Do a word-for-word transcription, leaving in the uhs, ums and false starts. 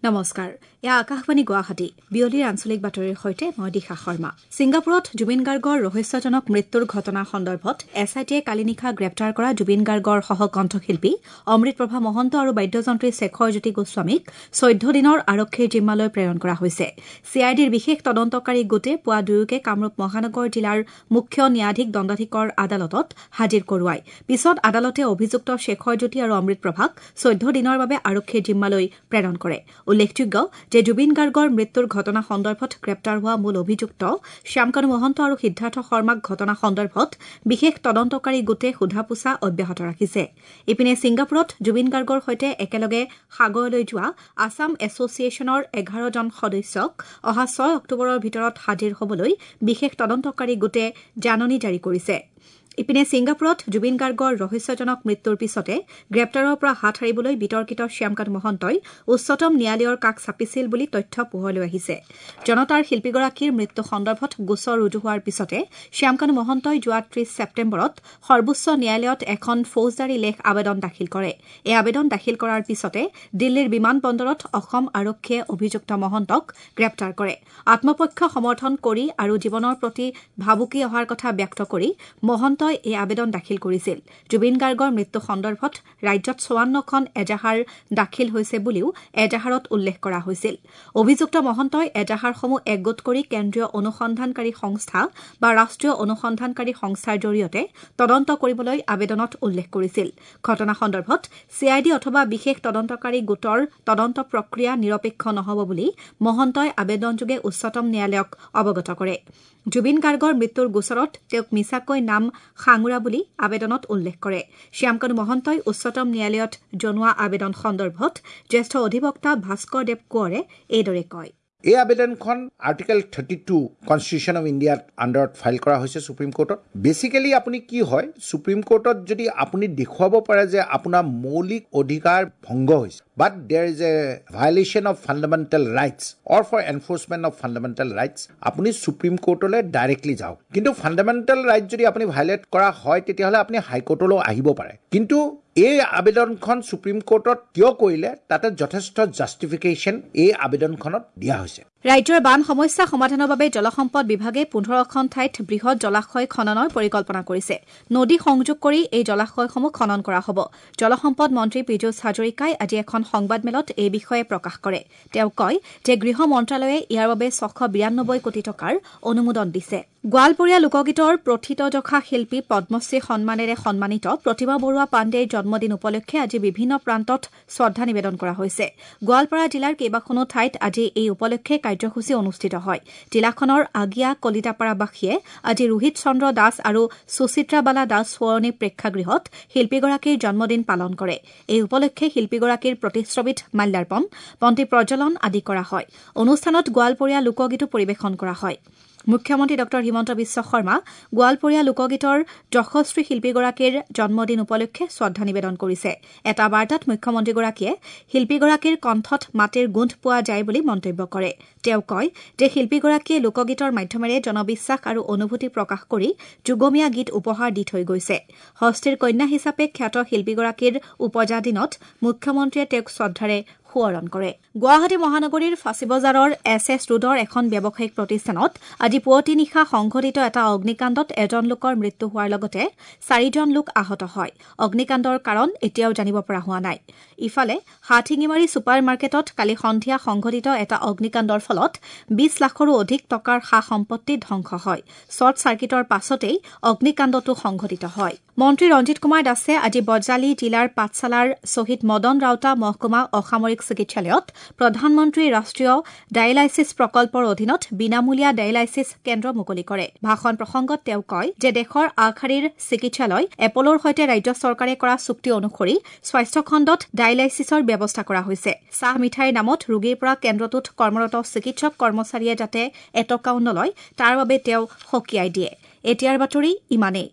নমস্কাৰ, এয়া আকাশবাণী গুৱাহাটী। বিয়লিৰ আঞ্চলিক বাতৰিৰ সৈতে মই দিশা শৰ্মা। ছিংগাপুৰত জুবিন গাৰ্গৰ ৰহস্যজনক মৃত্যুৰ ঘটনা সন্দৰ্ভত এছ I টিয়ে কালি নিশা গ্ৰেপ্তাৰ কৰা জুবিন গাৰ্গৰ সহ কণ্ঠশিল্পী অমৃতপ্ৰভা মহন্ত আৰু বাদ্যযন্ত্ৰী শেখৰ জ্যোতি গোস্বামীক চৈধ্য দিনৰ আৰক্ষীৰ জিম্মালৈ প্ৰেৰণ কৰা হৈছে। চি I ডিৰ বিশেষ তদন্তকাৰী গোটে পুৱা দুয়োকে কামৰূপ মহানগৰ জিলাৰ মুখ্য ন্যায়াধীশ দণ্ডাধীশৰ আদালতত হাজিৰ কৰোৱায়। পিছত আদালতে অভিযুক্ত শেখৰ জ্যোতি আৰু অমৃতপ্ৰভাক চৈধ্য দিনৰ বাবে আৰক্ষীৰ জিম্মালৈ প্ৰেৰণ কৰে। উল্লেখযোগ্য যে জুবিন গাৰ্গৰ মৃত্যুৰ ঘটনা সন্দৰ্ভত গ্ৰেপ্তাৰ হোৱা মূল অভিযুক্ত শ্যামকানু মহন্ত আৰু সিদ্ধাৰ্থ শৰ্মাক ঘটনা সন্দৰ্ভত বিশেষ তদন্তকাৰী গোটে সোধা পোছা অব্যাহত ৰাখিছে। ইপিনে ছিংগাপুৰত জুবিন গাৰ্গৰ সৈতে একেলগে সাগৰলৈ যোৱা আছাম এছ'চিয়েশ্যনৰ এঘাৰজন সদস্যক অহা ছয় অক্টোবৰৰ ভিতৰত হাজিৰ হ'বলৈ বিশেষ তদন্তকাৰী গোটে জাননী জাৰি কৰিছে। ইপিনে ছিংগাপুৰত জুবিন গাৰ্গৰ ৰহস্যজনক মৃত্যুৰ পিছতে গ্ৰেপ্তাৰৰ পৰা হাত সাৰিবলৈ বিতৰ্কিত শ্যামকানু মহন্তই উচ্চতম ন্যায়ালয়ৰ কাষ চাপিছিল বুলি তথ্য পোহৰলৈ আহিছে। জনতাৰ শিল্পীগৰাকীৰ মৃত্যু সন্দৰ্ভত গোচৰ ৰুজু হোৱাৰ পিছতে শ্যামকানু মহন্তই যোৱা ত্ৰিশ ছেপ্টেম্বৰত সৰ্বোচ্চ ন্যায়ালয়ত এখন ফৌজদাৰী লেখ আবেদন দাখিল কৰে। এই আবেদন দাখিল কৰাৰ পিছতে দিল্লীৰ বিমান বন্দৰত অসম আৰক্ষীয়ে অভিযুক্ত মহন্তক গ্ৰেপ্তাৰ কৰে। আত্মপক্ষ সমৰ্থন কৰি আৰু জীৱনৰ প্ৰতি ভাবুকি অহাৰ কথা ব্যক্ত কৰি মহন্ত এই আবেদন দাখিল কৰিছিল। জুবিন গাৰ্গৰ মৃত্যু সন্দৰ্ভত ৰাজ্যত চৌৱান্নখন এজাহাৰ দাখিল হৈছে বুলিও এজাহাৰত উল্লেখ কৰা হৈছিল। অভিযুক্ত মহন্তই এজাহাৰসমূহ একগোট কৰি কেন্দ্ৰীয় অনুসন্ধানকাৰী সংস্থা বা ৰাষ্ট্ৰীয় অনুসন্ধানকাৰী সংস্থাৰ জৰিয়তে তদন্ত কৰিবলৈ আবেদনত উল্লেখ কৰিছিল। ঘটনা সন্দৰ্ভত চি I D অথবা বিশেষ তদন্তকাৰী গোটৰ তদন্ত প্ৰক্ৰিয়া নিৰপেক্ষ নহ'ব বুলি মহন্তই আবেদনযোগে উচ্চতম ন্যায়ালয়ক অৱগত কৰে। জুবিন গাৰ্গৰ মৃত্যুৰ গোচৰত তেওঁক মিছাকৈ নাম সাঙুৰা বুলি আবেদনত উল্লেখ কৰে। শ্যামকানু মহন্তই উচ্চতম ন্যায়ালয়ত জনোৱা আবেদন সন্দৰ্ভত জ্যেষ্ঠ অধিবক্তা ভাস্কৰ দেৱ কোঁৱৰে এইদৰে কয়। এই আবেদনখন Article thirty two Constitution of ইণ্ডিয়াৰ আণ্ডাৰত ফাইল কৰা হৈছে সুপ্ৰিম কোৰ্টত। বেচিকেলি আপুনি কি হয়, সুপ্ৰিম কোৰ্টত যদি আপুনি দেখুৱাব পাৰে যে আপোনাৰ মৌলিক অধিকাৰ ভংগ হৈছে, but there is a violation of fundamental rights or for enforcement of fundamental rights, আপুনি সুপ্ৰিম কোৰ্টলৈ ডাইৰেক্টলি যাওক। কিন্তু ফাণ্ডামেণ্টেল ৰাইটছ যদি আপুনি ভায়লেট কৰা হয় তেতিয়াহ'লে আপুনি হাইকোৰ্টলৈও আহিব পাৰে। কিন্তু এই আবেদনখন সুপ্ৰিম কোৰ্টত কিয় কৰিলে তাতে যথেষ্ট জাষ্টিফিকেশ্যন এই আবেদনখনত দিয়া হৈছে। ৰাজ্যৰ বান সমস্যা সমাধানৰ বাবে জলসম্পদ বিভাগে পোন্ধৰখন ঠাইত বৃহৎ জলাশয় খননৰ পৰিকল্পনা কৰিছে। নদী সংযোগ কৰি এই জলাশয়সমূহ খনন কৰা হ'ব। জলসম্পদ মন্ত্ৰী পীযুষ হাজৰিকাই আজি এখন সংবাদমেলত এই বিষয়ে প্ৰকাশ কৰে। তেওঁ কয় যে গৃহ মন্ত্ৰালয়ে ইয়াৰ বাবে ছশ বিৰান্নব্বৈ কোটি টকাৰ অনুমোদন দিছে। গোৱালপৰীয়া লোকগীতৰ প্ৰথিতযশা শিল্পী পদ্মশ্ৰী সন্মানেৰে সন্মানিত প্ৰতিমা বৰুৱা পাণ্ডেৰ জন্মদিন উপলক্ষে আজি বিভিন্ন প্ৰান্তত শ্ৰদ্ধা নিবেদন কৰা হৈছে। গোৱালপাৰা জিলাৰ কেইবাখনো ঠাইত আজি এই উপলক্ষে কাৰ্যসূচী অনুষ্ঠিত হয়। জিলাখনৰ আগিয়া কলিতাপাৰাবাসীয়ে আজি ৰোহিত চন্দ্ৰ দাস আৰু সুচিত্ৰাবালা দাস সোঁৱৰণী প্ৰেক্ষাগৃহত শিল্পীগৰাকীৰ জন্মদিন পালন কৰে। এই উপলক্ষে শিল্পীগৰাকীৰ প্ৰতিচ্ছবিত মাল্যাৰ্পণ, বন্তি প্ৰজ্বলন আদি কৰা হয়। অনুষ্ঠানত গোৱালপৰীয়া লোকগীতো পৰিৱেশন কৰা হয়। মুখ্যমন্ত্ৰী ডঃ হিমন্ত বিশ্ব শৰ্মা গোৱালপৰীয়া লোকগীতৰ যশস্বী শিল্পীগৰাকীৰ জন্মদিন উপলক্ষে শ্ৰদ্ধা নিবেদন কৰিছে। এটা বাৰ্তাত মুখ্যমন্ত্ৰীগৰাকীয়ে শিল্পীগৰাকীৰ কণ্ঠত মাটিৰ গোন্ধ পোৱা যায় বুলি মন্তব্য কৰে। তেওঁ কয় যে শিল্পীগৰাকীয়ে লোকগীতৰ মাধ্যমেৰে জনবিশ্বাস আৰু অনুভূতি প্ৰকাশ কৰি যুগমীয়া গীত উপহাৰ দি থৈ গৈছে। হস্তীৰ কন্যা হিচাপে খ্যাত শিল্পীগৰাকীৰ উপজা দিনত মুখ্যমন্ত্ৰীয়ে তেওঁক শ্ৰদ্ধাৰে সোঁৱৰণ কৰে। গুৱাহাটী মহানগৰীৰ ফাঁচীবজাৰৰ এছ এছ ৰোডৰ এখন ব্যৱসায়িক প্ৰতিষ্ঠানত আজি পুৱতি নিশা সংঘটিত এটা অগ্নিকাণ্ডত এজন লোকৰ মৃত্যু হোৱাৰ লগতে চাৰিজন লোক আহত হয়। অগ্নিকাণ্ডৰ কাৰণ এতিয়াও জানিব পৰা হোৱা নাই। ইফালে হাটশিঙিমাৰী ছুপাৰ মাৰ্কেটত কালি সন্ধিয়া সংঘটিত এটা অগ্নিকাণ্ডৰ ফলত বিশ লাখৰো অধিক টকাৰ সা সম্পত্তি ধ্বংস হয়। শ্বৰ্ট চাৰ্কিটৰ পাছতেই অগ্নিকাণ্ডটো সংঘটিত হয়। মন্ত্ৰী ৰঞ্জিত কুমাৰ দাসে আজি বজালী জিলাৰ পাঠশালাৰ শ্বহীদ মদন ৰাউতা মহকুমা অসামৰিক চিকিৎসালয়ত প্ৰধানমন্ত্ৰী ৰাষ্ট্ৰীয় ডায়েলাইছিছ প্ৰকল্পৰ অধীনত বিনামূলীয়া ডায়েলাইছিছ কেন্দ্ৰ মুকলি কৰে। ভাষণ প্ৰসংগত তেওঁ কয় যে দেশৰ আগশাৰীৰ চিকিৎসালয় এপলৰ সৈতে ৰাজ্য চৰকাৰে কৰা চুক্তি অনুসৰি স্বাস্থ্যখণ্ডত ডায়েলাইছিছৰ ব্যৱস্থা কৰা হৈছে। চাহ মিঠাইৰ নামত ৰোগীৰ পৰা কেন্দ্ৰটোত কৰ্মৰত চিকিৎসক কৰ্মচাৰীয়ে যাতে এটকাও নলয় তাৰ বাবে তেওঁ সকীয়াই দিয়ে। এতিয়াৰ বাতৰি ইমানেই।